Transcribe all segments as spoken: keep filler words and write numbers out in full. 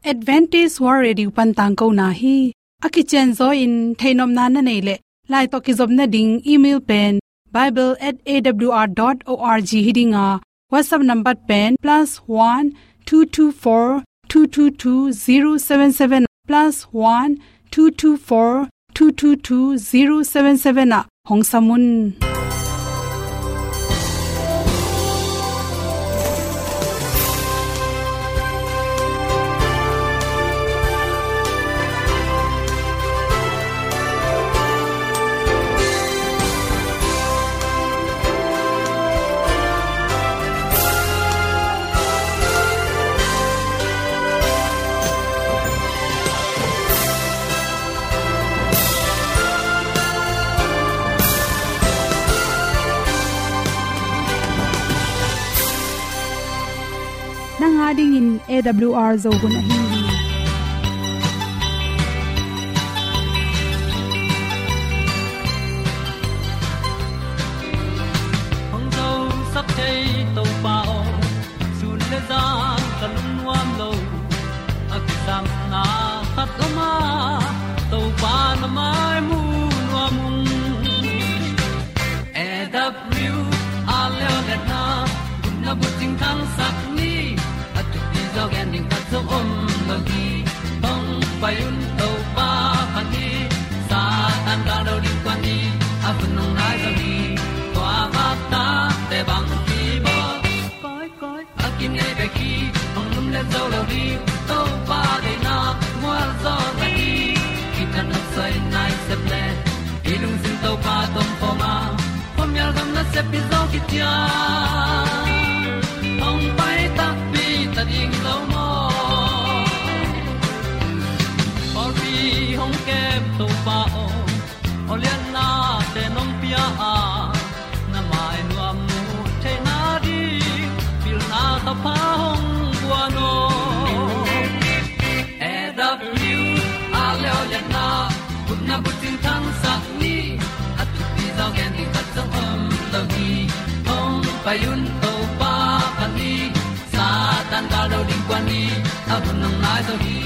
Adventist World Radio pan tangkona hi. A kicianzaw in theihnopna na neih leh, lai tawh kizopna ding email pen bible at A W R dot org hi ding a, WhatsApp number pen plus one two two four two two two zero seven seven, plus one two two four two two two zero seven seven ah hong sam un. Nang a dingin A W R Zo hun ahi hi. Hong zosak thei Topa aw, sun le zan ka lungnuam lo. A kisapna khat om a, Topa na mai mu nuam ung. A W R Leo le na, gupna bucing thangsak ni, a thupi zaw gen ding khat zong om lo hi. Hong pai un Topa phat ni, Satan gal do ding kuan ni, a hun hong nai zaw hi. Tua vak tate bang kibawl. Koi, koi, a kinei bek hi, hong lumlet zo lo ding, Topa deihna mual zaw ta hi. Kithat nopsai nai sep le, i lungsim Topa tawh om khawm a, khuamial gam nasep hi zaw kician. Hong pai takpi ta ding lo maw? Pawlpi hong kem Topa aw, awliatnate nong pia a, na mai nuam mu theihna ding pilna thupha hong guan aw. A W R Leo le na, gupna bucing thangsak ni, a thupi zaw gen ding khat zong om lo hi. Hong pai un Topa phat ni, Satan gal do ding kuan ni, a hun hong nai zaw hi.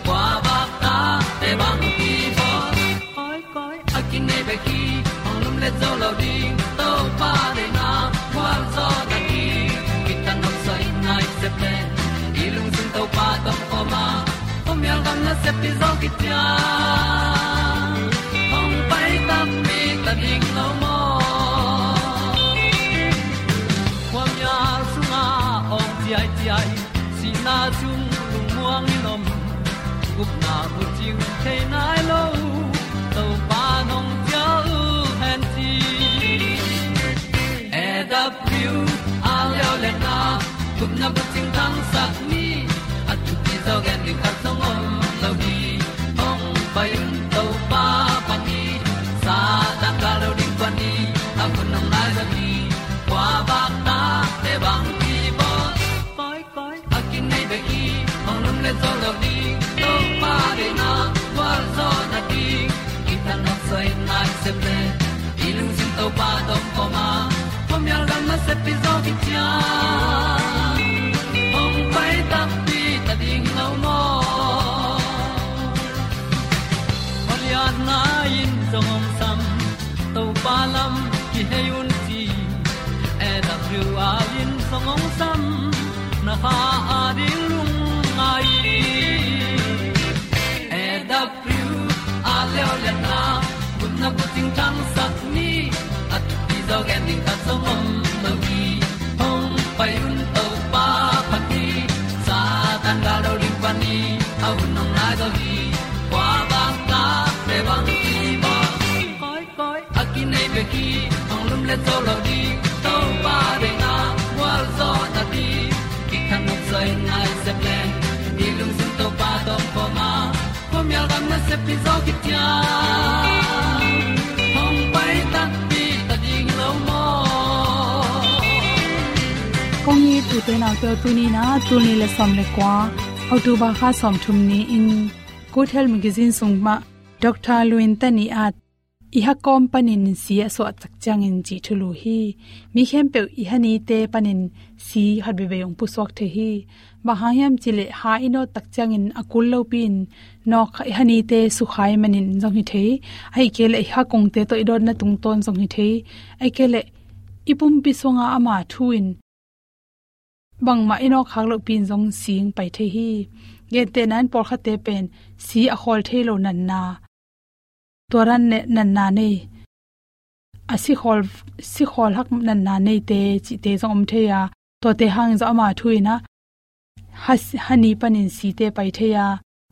Kua vak tate bang kibawl. Koi, koi, a kinei bek hi, hong lumlet zo lo ding, Topa deihna mual zaw ta hi. Kithat nopsai nai sep le, i lungsim Topa tawh om khawm a, khuamial gam nasep hi zaw kician. Hong pai takpi ta ding lo maw? Khuamial sungah awng ciaiciai, sihna sung lungmuang in om, gupna bucing thei nai lo, Topa nong cial hen ci. A W R Leo le na, gupna bucing thangsak ni, a thupi zaw gen ding khat zong om lo hi. Hong pai un Topa phat ni, Satan gal do ding kuan ni, a hun hong nai zaw hi. Kua vak tate bang kibawl. Koi, koi, a kinei bek hi, hong lumlet zo lo ding, Topa deihna mual zaw ta hi. Kithat nopsai nai sep le, i lungsim Topa tawh om khawm a, khuamial gam nasep hi zaw kician. Hong pai takpi ta ding lo maw? Awliatna in zong hong sam, Topa lam kihei un ci. A W R in zong hong sam, na kha a ding lungngai. A W R Leo le na, gupna bucing thangsak ni, a thupi zaw gen ding khat zong om lo hi. Hong pai un Topa phat ni, Satan gal do ding kuan ni, a hun hong nai zaw hi. Kua vak tate bang kibawl. Koi, koi, a kinei bek hi, hong lumlet zo lo ding, Topa deihna mual zaw ta hi. Kithat nopsai nai sep le, i lungsim Topa tawh om khawm a, khuamial gam nasep hi zaw kician. Hong pai takpi ta ding lo maw? Kong it u te nau te, tuni in a, tul nih le sawm le kua, October kha sawmthum ni-in Good Health Magazine sung mah Doctor Luin Tani at i ha kawm panin si a suah tak ciangin cih thulu hi. Mi khempeuh i ha nite panin si khat veivei hong pusuak thei hi. Bang hang hiam cih leh ha i nawt tak ciangin a kul lopi-in nawk i ha nite sukha ahih manin zong hi thei. Ahih kei leh i ha kongte tawh i dawtna tungtawn zong hi thei. Ahih kei leh i pumpi sunga ama thu in bangmah i nawk khak lohpi-in zong si hong pai thei hi. Gentehna in pawlkhatte pen si a khawl thei lo natna, tua dan ne-, natna nei, a si khawl, si khawl hak natna neite cihte zong om thei a, tuate hangin zong ama thu in ah ha, ha ni panin site pai thei a,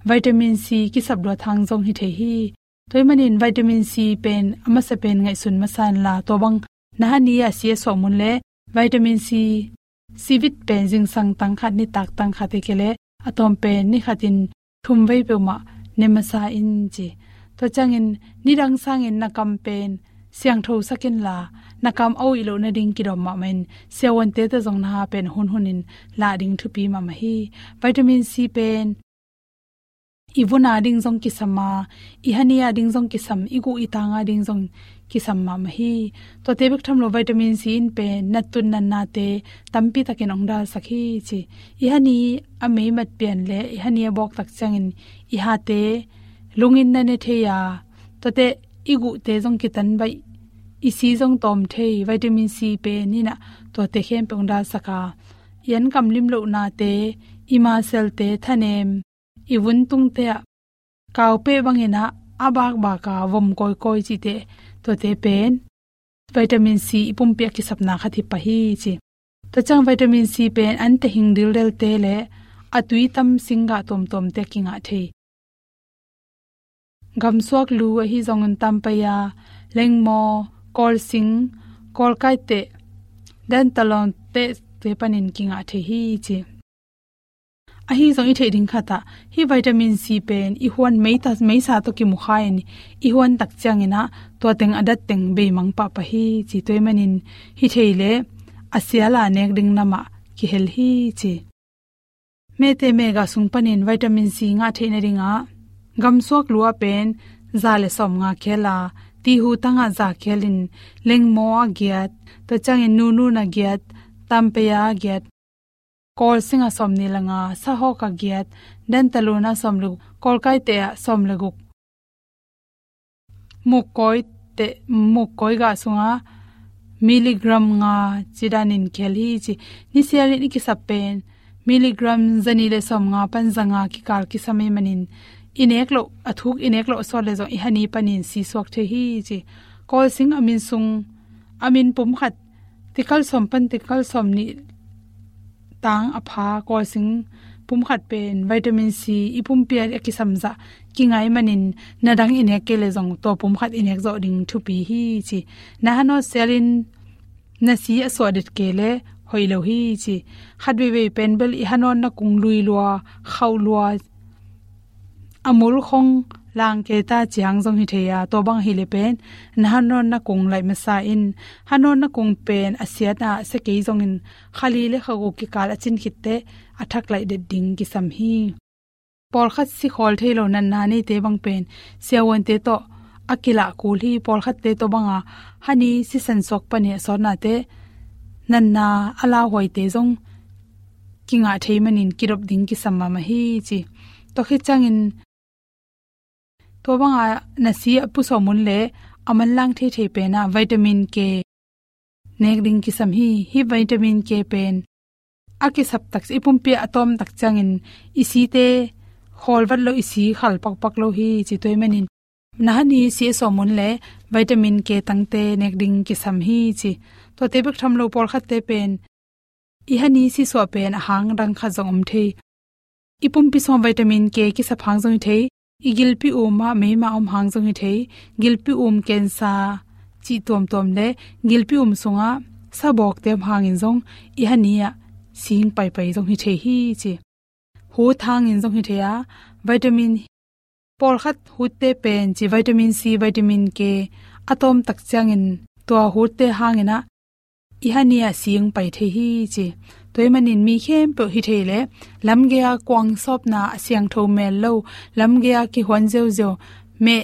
vitamin C kisap luat hang zong hi thei hi. Tua ahih manin vitamin C pen a masa pen ngaihsun masa inla, tua bang na ha ni-a si a suah mun leh vitamin C, C vit pen zingsang tang khat, nitak tang khat, ahih kei leh a tawm pen ni khatin thum vei peuhmah ne masa in ci. Tua ciangin nidang sangin na kam pen siangtho sak inla, na kam a uih loh nading kidawm mahmah in, siavuante tawh zong na ha pen hunhunin lah ding thupi mahmah hi. Vitamin C pen i vun a ding zong kisam a, i ha ni a ding zong kisam, i guh i tang a ding zong kisam mahmah hi. Tuate bek tham lo vitamin C in pen nattun natnate tampi takin hong dalsak hi ci. I ha ni a meimat pian leh i ha ni a bawk tak ciangin i hate lungin na ne thei a, tuate i guhte zong kitan baih, i si zong tawm thei, vitamin C pen in ah tuate khempeuh hong dalsak a, i an kam lim lohnate, i muscle-te thanem, i vun tungte ah kaupeh bangin ah a bakbak a vom kawikawi cihte, tuate pen vitamin C i pumpi a kisapna khat hi pah hi ci. Tua ciang vitamin C pen ante hing dildelte leh a tui tam singgah tuamtuamte a kingah thei. Gamsuak lu ahi zongin tampai a, lengmaw, kawlsing, kawlkaiteh, dantalon tehte panin kingah thei hi ci. Ahi zong i theih ding khat ah, hih vitamin C pen i huan meita, meisa tawh kimukha-in i huan tak ciangin ah tua teng a dat teng beimang pahpah hi ci. Tua ahih manin hi thei leh a sial a nek ding namah kihel hi ci. Mehte mehgah sung panin vitamin C ngah theih nadingah gamsuak lu ah pen za le sawmnga khel a, tihu tangah za khelin, lengmaw ah giat, tua ciangin nunun ah giat, tampai ah giat, kawlsing ah sawmnih le nga, sahawk ah giat, dantalon ah sawm le guk, kawlkaiteh ah sawm le guk, mukkawiteh, mukkawi gah sungah milligram nga ci danin khel hi ci. Nisialin i kisap pen milligram zanih le sawmnga pan zanga kikal kisam ahih manin i nek loh, a thuk i nek loh sawt leh zong i ha ni panin si suak thei hi ci. Kawlsing a min sung, a min pum khat, tikal sawm pan tikal sawmnih tang a pha kawlsing pum khat pen vitamin C i pumpi a kisam zah kingah ahih manin na dang i nek kei leh zong tua pum khat i nek zawh ding thupi hi ci. Na ha nawt sialin na si a suah det kei leh hoih lo hi ci. Khat veivei pen bel i ha nawtna kung lui lua, khauh lua, a mul khong lang kei ta ci hang zong hi thei a, tua bang hi leh pen na ha nawtna kung laih masa in, ha nawtna kung pen a siat a sia kei zongin kha li le kha guk kikal a cin khit teh a thak laih det ding kisam hi. Pawlkhat si khawl thei lo natna neite bang pen siavuante tawh a kilah kul hi. Pawlkhatte tua banga ha ni sisan suak panin a sawtnate natna a lauhuaite zong kingah thei manin kidop ding kisam mahmah hi ci. Tua khit ciangin tua banga na si a pusuah mun leh a manlang theithei pen ah vitamin K nek ding kisam hi. Hih vitamin K pen a kisap tak, i pumpi a tawm tak ciangin i site khawl vat lo, i si khal pakpak lo hi ci. Tua ahih manin na ha ni si a suah mun leh vitamin K tangte nek ding kisam hi ci. Tuate bek tham lo pawlkhatte pen i ha ni si suah pen a hang dang khat zong om thei. I pumpi sungah vitamin K kisap hang zong hi thei. I gilpi um ah meima om hang zong hi thei. Gilpi um, cancer cih tuamtuam leh gilpi um sungah sabawkte om hangin zong i ha ni ah si hing paipai zong hi thei hi ci. Hut hangin zong hi thei a, vitamin, pawlkhat hutte pen ci, vitamin C, vitamin K a tawm tak ciangin tua hutte hangin ah i ha ni ah si hing pai thei hi ci. Tua ahih manin mi khempeuh hi thei leh lamgei a kuang sawpna, a siangtho mel lo, lamgei a kihuan ziauziau, meh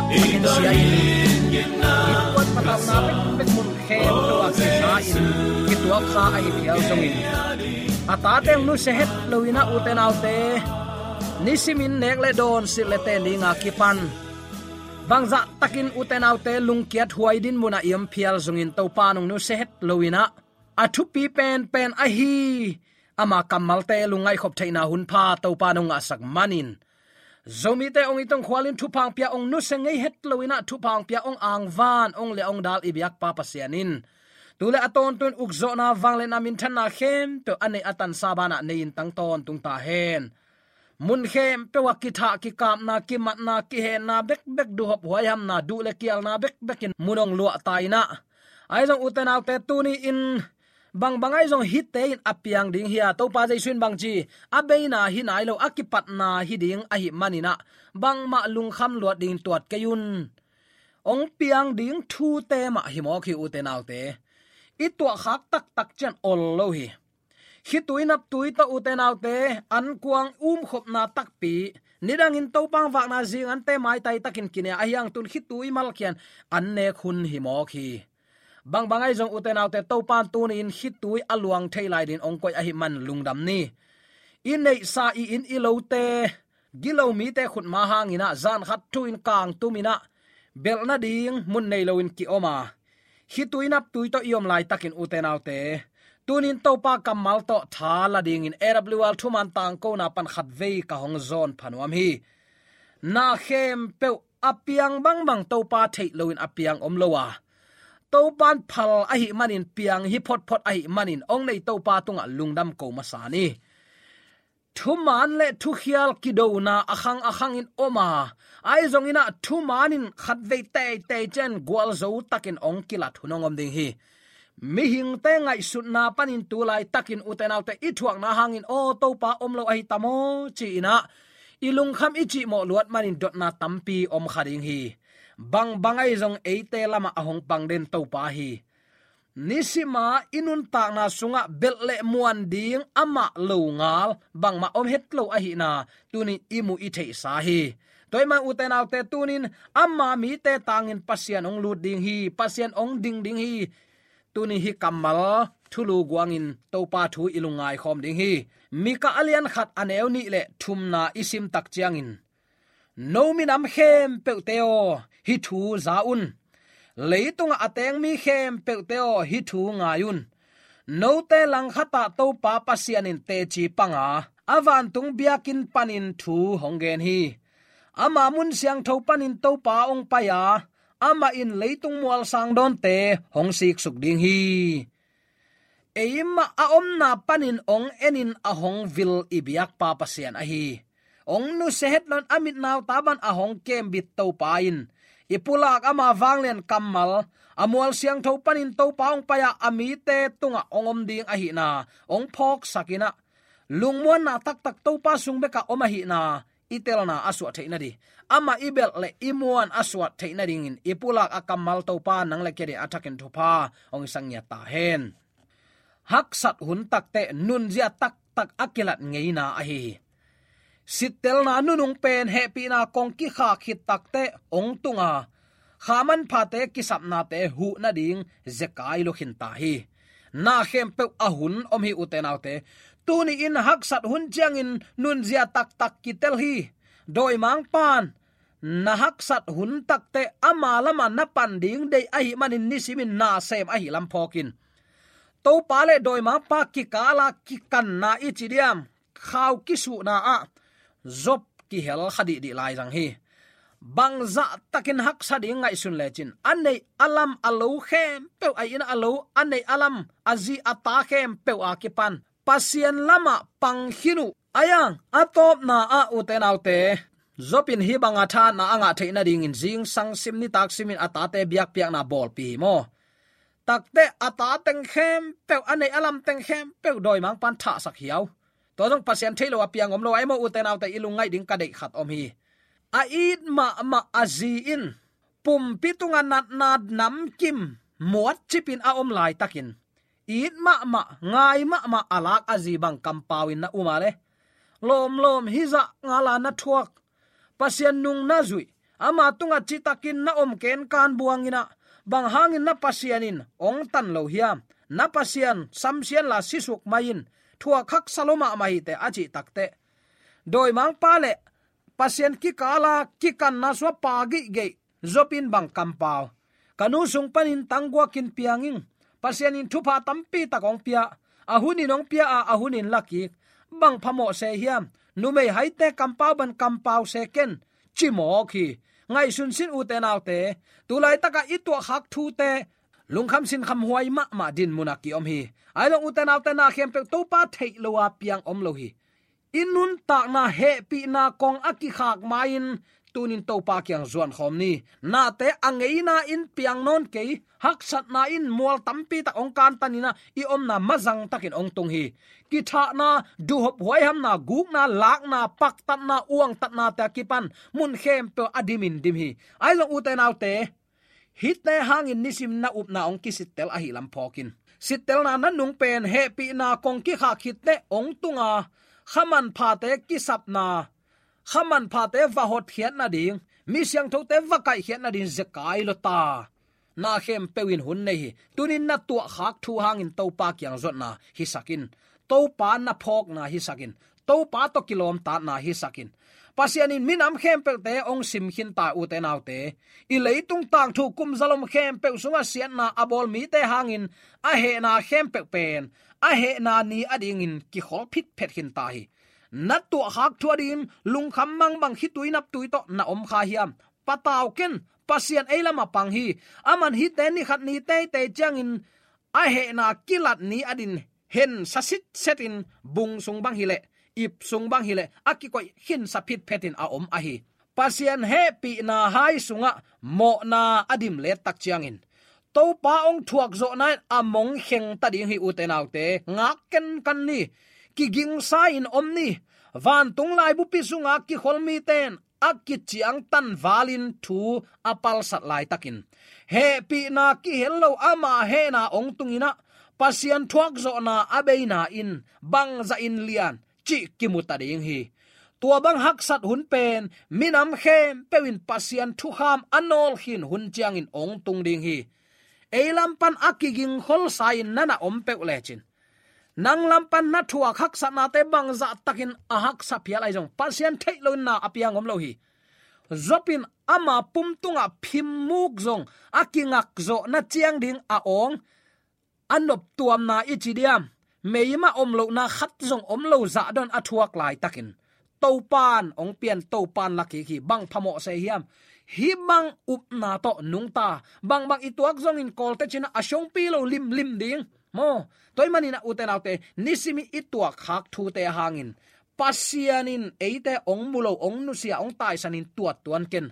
taktakin sia in, innkuan patauhna bekbek mun khempeuh ah kisa in kituak kha ahi phial zongin, a tate hong nusia het loin ah, ute naute, nisimin nek le dawn, silh le ten dinga kipan bangzah takin, ute naute, lungkiat huai din munah i om phial zongin, Topa in hong nusia het loin ah, a thupi penpen ahi ama kammalte lungngaihkhop theihna hunpha Topa in hong ngahsak manin, Zomite hong itongkhualin thupha hong pia, hong nusia ngei het loin ah thupha hong pia, hong angvan, hong liah hong dal i biakpa Pasian in tu le a tawntung ukzawhna, vangliatna, minthanna khempeuh a neih a tansa banah nei-in tang tawntung ta hen. Mun khempeuh ah kithah, kikapna, kimatna, kihenna bekbek, duhhop huaihamna, duh le kialna bekbekin mun hong luah ta in ah, ahi zong, ute naute, tuni-in bangbang ahi zong hihte in a piang ding hi a, Topa Jesu in bangci, a beina hi nai lo, a kipatna hi ding ahih manin ah, bangmah lungkham luat dingin tuat kei un. Hong piang ding thute mah hi mawk hi, ute naute. I tuahkhak taktak ciang ol lo hi. Khitui naptui tawh, ute naute, ankuang umkhopna takpi, nidangin Topa hong vakna zing ante maitai takin kinei a, ahi hang tun khitui malkhian an nek hun hi mawk hi. Bangbang ahi zong ute naute, Topa in tuni-in khitui a luang thei lai dingin hong koih ahih man lungdam ni. I neihsa i inn i lote, gilo mite khutma hangin ah, zan khat thu-in kangtum in ah, belh nading mun nei loin ki-om a, khitui naptui tawh i om laitakin ute naute, tuni-in Topa kammal tawh tha la dingin A W R thuman tangkona pan khatvei ka hong zawn pha nuam hi. Na khempeuh a piang bangbang Topa theih loin a piang om lo a, Topa in phal ahih manin, piang hi photphot ahih manin, hong nei Topa tungah lungdam ko masa ni. Thuman le thukhial kidona a khang a khangin om a, ahi zongin ah thuman in khatvei teitei ciang gualzo takin hong kilat hun hong om ding hi. Mihingte ngaihsutna panin tu laitakin ute naute, i thuakna hangin, "Aw, Topa om lo ahi ta maw?" ci-in ah i lungkham i cihmawh luat manin dotna tampi om kha ding hi. Bangbang ahi zong eite lamah a hong pang den Topa hi. Nisima i nuntakna sungah belh le muan ding amah lo ngal bangmah om het lo ahihna tuni-in i mu i theihsa hi. Tua ahih man ute naute, tuni-in ama mite tangin Pasian hong lut ding hi, Pasian hong ding ding hi. Tuni hih kammal thulu guangin Topa thu i lungngai khawm ding hi. Mika a lian khat a neu nih le thumna i sim tak ciangin, "No minam khempeuhte aw, hih thu za un. Leitungah a teng mi khempeuhte aw, hih thu ngai un. Note langkhatah Topa Pasian in teci panga, a vantung biakinn panin thu hong gen hi. Ama mun siangtho panin Topa hong pai a, amah in leitung mualsang dawnte hong siksuk ding hi." Eimah a omna panin hong enin a hong vil i biakpa Pasian ahi. Hong nusia het loin a mit nau ta bang a hong kembit Topa in, i pulak ama vanglian kammal, a mual siangtho panin Topa hong pai a, a mite tungah hong om ding ahihna hong phawksak in ah, lungmuanna taktak Topa sung bekah om ahihna i telna a suah theih nading, amah i belh le i muan a suah theih nadingin i pulak a kammal Topa nang le kei adingin a thakin thupha hong sang ngiat ta hen. Haksat hun takteh nunzia taktak a kilat ngeina ahi hi. Sittelna nunung pen hehpihna kong kikhak khit takteh hong tung a, kha manphate kisapnate huh nading zekai lua khin ta hi. Na khempeuh a hun om hi ute naute. Tuni-in haksat hun ciangin nunzia taktak kitel hi. Dawimangpa in na haksat hun takteh ama lamah na pan ding deih ahih manin nisimin na sem ahih lam phawk in. Topa le dawimangpa kikala kikanna i ci diam, khau kisuhna ah Job kihel kha dihdih lai zang hi. Bangzah takin haksa ding ngaihsun lecin, a neih a lam a lo khempeuh, a inn a lo, a neih a lam, a zi a ta khempeuh a kipan Pasian lamah pang khin uh. Ahi zongin a tawpna ah ute naute, Job in hih banga thahatna a ngah theih nadingin zingsang sim nitak simin a tate biakpiakna bawlpih hi maw. Takteh a ta teng khempeuh, a neih a lam teng khempeuh dawimangpa in thahsak hiau. Tua zong Pasian theih lo a piang om lo ahi maw ute naute, i lungngaih ding ka deih khat om hi. A it mahmah a zi in pumpi tungah natna namkim muatcipin a om laitakin, it mahmah, ngai mahmah a lak a zi bang kampau in na um a le, lawmlawm hih zah ngala na thuak, Pasian nung na zuih, ama tungah citakin na om kenkan buangin ah, bang hangin na Pasian in hong tan lo hiam? Na Pasian samsia inla sisuk mai in, thuak haksa lua mahmah hi teh a cih takteh, dawimangpa le Pasian kikala kikanna sungah pang geihgeih Job in bang kampau. Ka nu sung panin tangguakin piang ing. Pasian in thupha tampi tak hong pia. A hunin hong pia a, a hunin la kik. Bang phamawh se hiam? Numei haite kampau bang kampau se ken, ci mawk hi. Ngaihsun sin ute naute. Tulaitakah i tuahkhak thute lungkham sinkham huai mahmah dinmun ah ki-om hi. Ahi zongin ute naute, na khempeuh Topa theih lo a piang om lo hi. I nuntakna hehpihna kong a kikhak ma-in tunin Topa kiang zuan khawm ni. Nate a ngeina in piang nawn kei, haksatna in mual tampi tak hong kantan in ah, i omna mazang takin hong tung hi. Kithahna, duhhop huaihamna, gukna, lakna, paktatna, uangtatnate a kipan mun khempeuh a dimin dim hi. Ahi zongin ute naute, hihte hangin nisim na upna hong kisittel ahih lam phawk in. Sittelna nunung pen hehpihna kong kikhak khit teh hong tung a, kha manphate kisapna, kha manphate va hotkhiat nading, mi siangthote va kaihkhiat nading zekai lua ta. Na khempeuh in hun nei hi. Tunin na tuahkhak thu hangin Topa kiang zuatna hisak in. Topa na phawkna hisak in. Topa tawh kilawmtatna hisak in. Pasian in minam khempeuhte hong sim khin ta, ute naute. I leitung tangthu kum zalom khempeuh sungah siatna a bawl mite hangin a hehna khempeuh pen a hehna ni adingin kikhol phitphet khin ta hi. Na tuahkhak thu adingin lungkham mangbang khitui naptui tawh na om kha hiam? Patau ken, Pasian ei lamah pang hi. Aman hihte ni khat ni teitei ciangin a hehna kilat ni adin hen sa sitset in bung sung bang hileh, ip sung bang hileh, a kikoih khin sa phitphet in a om ahi. Pasian hehpihna hai sungah mawhna a dim let tak ciangin Topa hong thuak zawhna in a mong kheng ta ding hi, ute naute. Ngak kenkan ni. Kigingsa in om ni. Vantung laibupi sunga kikhol mite in a kiciangtan valin thu a palsat laitakin hehpihna kihel lo ama hehna hong tunginah Pasian thuak zawhna a beina in bangzah in lian cih kimu ta ding hi. Tua bang haksat hun pen minam khempeuh in Pasian thukham a nawlkhin hun ciangin hong tung ding hi. Ei lam pan a kigingkholsa in na na om peuh lecin, nang lam pan na thuak haksatnate bangzah takin a haksa phial ahi zong, Pasian theih lo in na a piang om lo hi. Job in ama pum tungah phim muk zong a kingak zawhna ciang ding a awng, a noptuamna i ci diam, meimah om lohna khat zong om lo zah don a thuak laitakin Topan hong pian, Topan la kik hi. Bang phamawh se hiam? Hih bang upna tawh nungta, bangbang i tuak zongin Kawlte cinah a siongpi lo limlim ding maw? Tua ahih maninah, ute naute, nisim i tuakkhak thute hangin Pasian in eite hong mu lo, hong nusia, hong taisanin tuat tuan ken.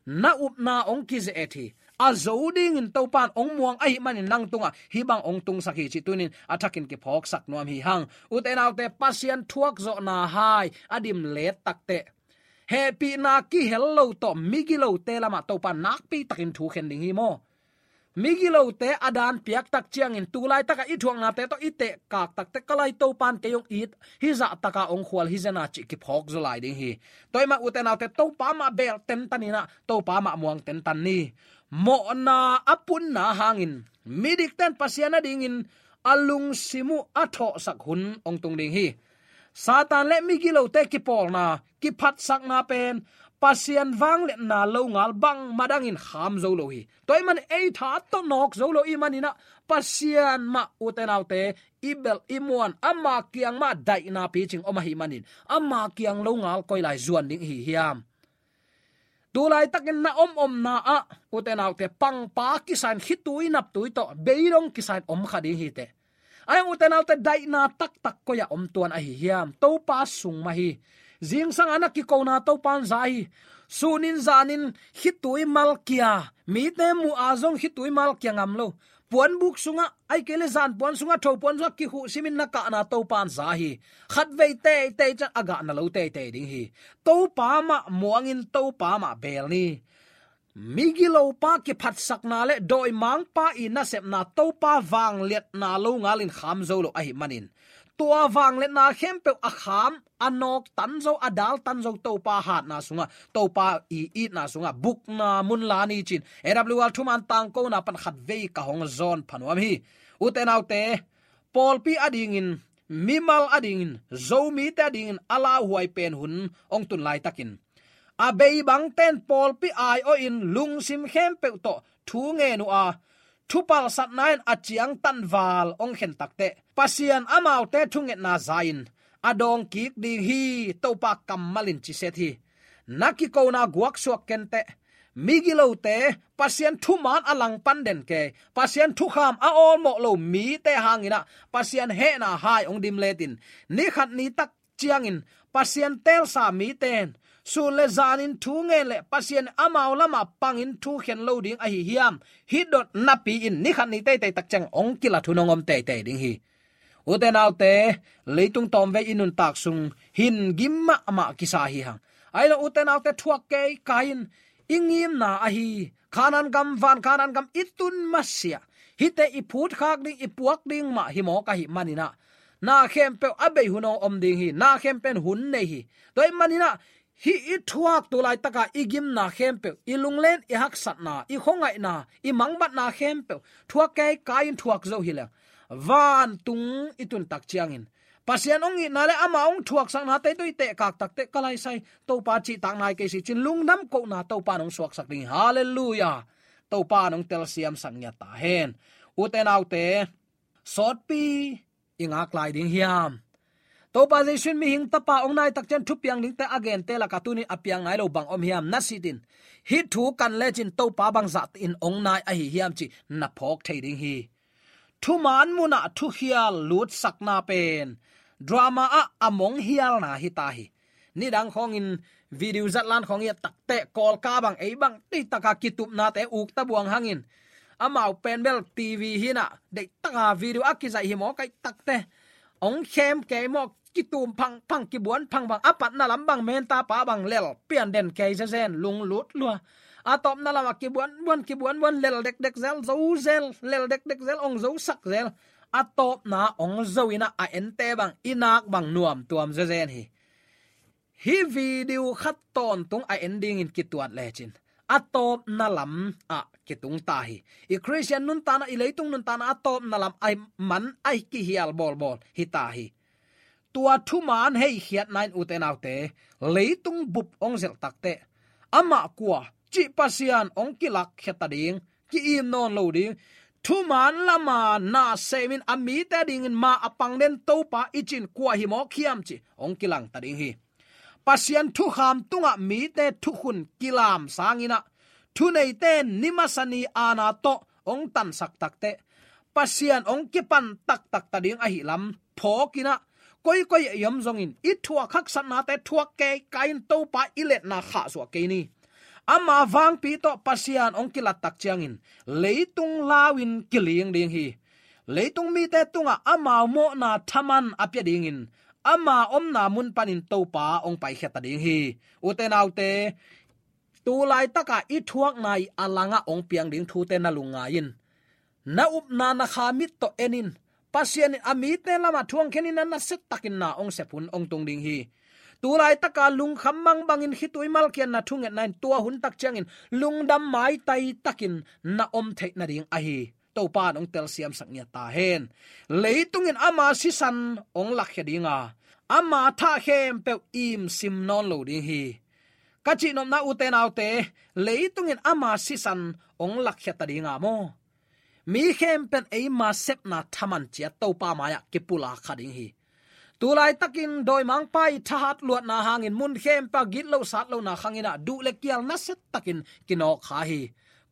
Na upna hong kize-et hi. A zo dingin Topan hong muang ahih manin nang tungah hih bang hong tungsak hi cih tunin a thakin kiphawksak nuam hi hang. Ute naute, Pasian thuak zawhna hai a dim let takteh hehpihna kihel lo tawh migilote lamah Topan nakpi takin thu khen ding hi maw? Migilote a daan piak tak ciangin tu laitakah i thuaknate tawh i tehkak takteh ka lai Topan kei hong it, hih zah taka hong khual hi zena cih kiphawk zaw lai ding hi. Tua ahih mah, ute naute, Topa mah beel tentan inah Topa mah muang tentan ni. Mawhna a punna hangin midikten Pasian a dingin a lungsim uh a thawhsak hun hong tung ding hi. Satan le migilote kipawlna, kiphatsakna pen Pasian vangliatna longal bangmah dangin kham zo lo hi. Tua ahih manin ei tha tawh nawk zo lo ahih maninah Pasian mah, ute naute, i belh i muan, ama kiang mah daihna picing om ahih manin ama kiang longal koi lai zuan ding i hi hiam? Tu laitakin na omomna ah, ute naute, pangpa kisa in, khitui naptui tawh beidong kisa in om kha ding hi teh. Ahi hang, ute naute, daihna taktak koi-ah om tuan ahi hiam? Topa sung mah hi. Zingsang a na kikona Topan za hi. Sunin zanin khitui malkia, mite muh a zong khitui malkia ngam lo, puanbuk sungah, ahih kei leh zanpuan sungah, thopuan sungah kikhuh simin na kahna Topan za hi. Khatvei teitei ciang a gahna lo teitei ding hi. Topa mah muangin Topa mah beel ni. Migilopa kiphatsakna le dawimangpa i nasepna Topa vangliatna longalin kham zo lo ahih manin, tua vangliatna khempeuh a kham, a nawk tan zo, a dal tan zo Topa hatna sungah, Topa i itna sungah bukna mun la ni cin A W R thuman tangkona pan khatvei ka hong zawn pha nuam hi. Ute naute, pawlpi adingin, mimal adingin, Zomite adingin a lauhuai pen hun hong tun laitakin, a bei bangten pawlpi aiawhin lungsim khempeuh tawh thu ngen uh a, thupalsatna in a ciangtan val hong khen takteh, Pasian amaute thungetna za-in a dawng kik ding hi, Topa kammalin ciset hi. Na kikona guaksuak kenteh. Migilote, Pasian thuman a langpan den kei, Pasian thukham a awlmawh lo mite hanginah Pasian hehna hai hong dim letin, ni khat ni tak ciangin Pasian teelsa mite in sun le zanin thu ngen le Pasian amau lamah pangin thu khen lo ding ahi hiam? Hih dot napi-in ni khat ni teitei tak ciang hong kilat hun hong om teitei ding hi. Ute naute, leitung tawmvei i nuntak sung hin gim mahmah kisa hi hang. Ahi lo, ute naute, thuak kei kai in, i ngimna ahi Kanaan gam, van Kanaan gam i tun masiah, hihte i phutkhak ding, i puak ding mah hi mawk ahih maninah, na khempeuh a bei hun hong om ding hi. Na khempeuh in hun nei hi. Tua ahih maninah Hih i thuak tu laitaka i gimna khempeuh, i lunglen, i haksatna, i khuangaihna, i mangbatna khempeuh thuak keikai in thuak zo hi leng, vantung i tun tak ciangin Pasian hong itna le ama hong thuaksaknate tawh i tehkak takteh, ka laisai, Topa cihtak nai kei si cin lungdam kohna Topa in hong suaksak ding hi. Halleluiah. Topa in hong telsiamsak ngiat ta hen. Ute naute, sawtpi i ngak lai ding hiam? Topa Jesu in mihing tapa hong nai tak ciang thupiang dingte a gente lakah tuni-in a piang nai lo bang om hiam? Na sitin, hih thu kan lecin Topa bangzah in hong nai ahi hiam cih na phawk thei ding hi. Thuman munah thukhial lutsakna pen drama ah a monghialna hi ta hi. Nidang khawngin video zatlan khawng i et takteh, Kawlka bang, ei bang, deitaka kitupnate uk tabuang hangin, amau pen bel TV hinah, deitaka video a kizaih hi maw, kai takteh, hong khem kei maw, kitum phangphang, kibuan phangphang, a patna lam bang menta pa bang lel pian den kei zezen, lunglut lua. A tawpna lamah kibuanbuan, kibuanbuan, lel dekdek zel, zo zel, lel dekdek zel, hong zosak zel. A tawpna hong zo inah a ente bang i nak bang nuamtuam zezen hi. Hih video khat tawntung a en dingin kituat lecin a tawpna lamah kitung ta hi. I Khristian nuntakna, i leitung nuntakna a tawpna lam a man a kihial bawlbawl hi ta hi. Tua thuman heikhiatna in, ute naute, leitung bup hong zelh takteh, amah kua cih Pasian hong kilakkhia ta ding, ki-im nawn lo ding. Thuman lama na semin a mite dingin ma a pang den Topa i cin kua hi mawk hiam cih hong kilang ta ding hi. Pasian thukham tungah mite thukhun kilam sanginah, thuneite in ni masa ni aana tawh hong tansak takteh, Pasian hong kipan taktak ta ding ahi lam phawkinah, koikoi a i om zongin i thuak haksatnate thuak keikai in Topa i letna khahsuah kei ni. Ama vangpi tawh Pasian hong kilat tak ciangin leitung lau-in kiling ding hi. Leitung mite tungah amau mawhna thaman a pia dingin ama omna mun panin Topa hong paikhia ta ding hi. Ute naute, tu laitaka i thuakna i a langah hong piang ding thute na lungngai in. Na upna na kha mit tawh en in. Pasian in a mite lamah thu hong khen in, a nasia takin na hong sep hun hong tung ding hi. Tu laitaka lungkham mangbangin khitui malkiatna thungetna in tua hun tak ciangin lungdam maitai takin na om theih nading ahi. Topa in hong telsiamsak ngiat ta hen. Leitung in ama sisan hong lakkhia ding a, ama thah khempeuh imsim nawn lo ding hi. Ka cihnopna, ute naute, leitung in ama sisan hong lakkhia ta ding a maw? Mi khempeuh in eima sepna thaman ciat Topa mai-ah kipulak kha ding hi. Tu laitakin dawimangpa i thahat luatna hangin mun khempeuh ah gitloh satlona khanginah duh le kial nasia takin kinawk kha hi.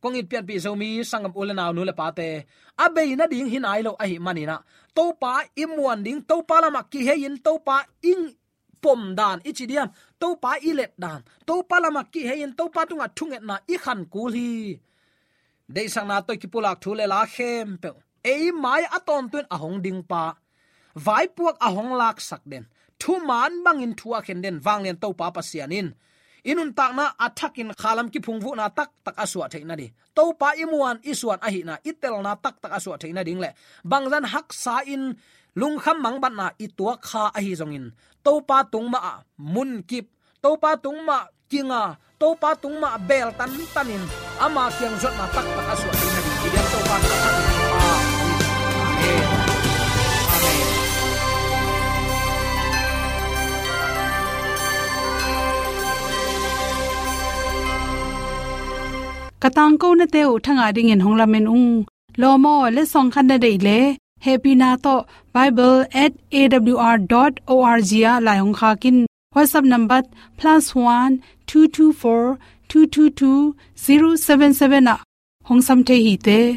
Kong it pianpih Zomi sanggam u le nau, nu le pate, a bei nading hi nai lo ahih maninah, Topa i muan ding, Topa lamah kihei-in, Topa i pom dan i ci diam, Topa i let dan, Topa lamah kihei-in Topa tungah thungetna i khan kul hi. Deihsakna tawh i kipulak thu le la khempeuh, ei mai-ah a tawntung a hong dingpa, vaipuak a hong laksak den, thuman bangin thu a khen den vanglian Topa Pasian in i nuntakna a thakin khalam kiphungvuhna taktak a suah theih nading, Topa i muan i suan ahihna i telna taktak a suah theih nading le bangzah haksa-in lungkham mangbatna i tuak kha ahi zongin, Topa tung mah ah munkip, Topa tung mah kinga, Topa tung mah beel tantanin ama kiang zuatna taktak a suah theih nading i biak Topa in a thakin thupha hong pia hen. Amen. Ka tangkonate uh thangah dingin hong lamen ung. Lawm aw, letsong khat na deih leh, hehpihna tawh bible at A W R dot O R G ah lai hong khak in. WhatsApp number plus one two two four two two two zero seven seven ah hong sam thei hi te.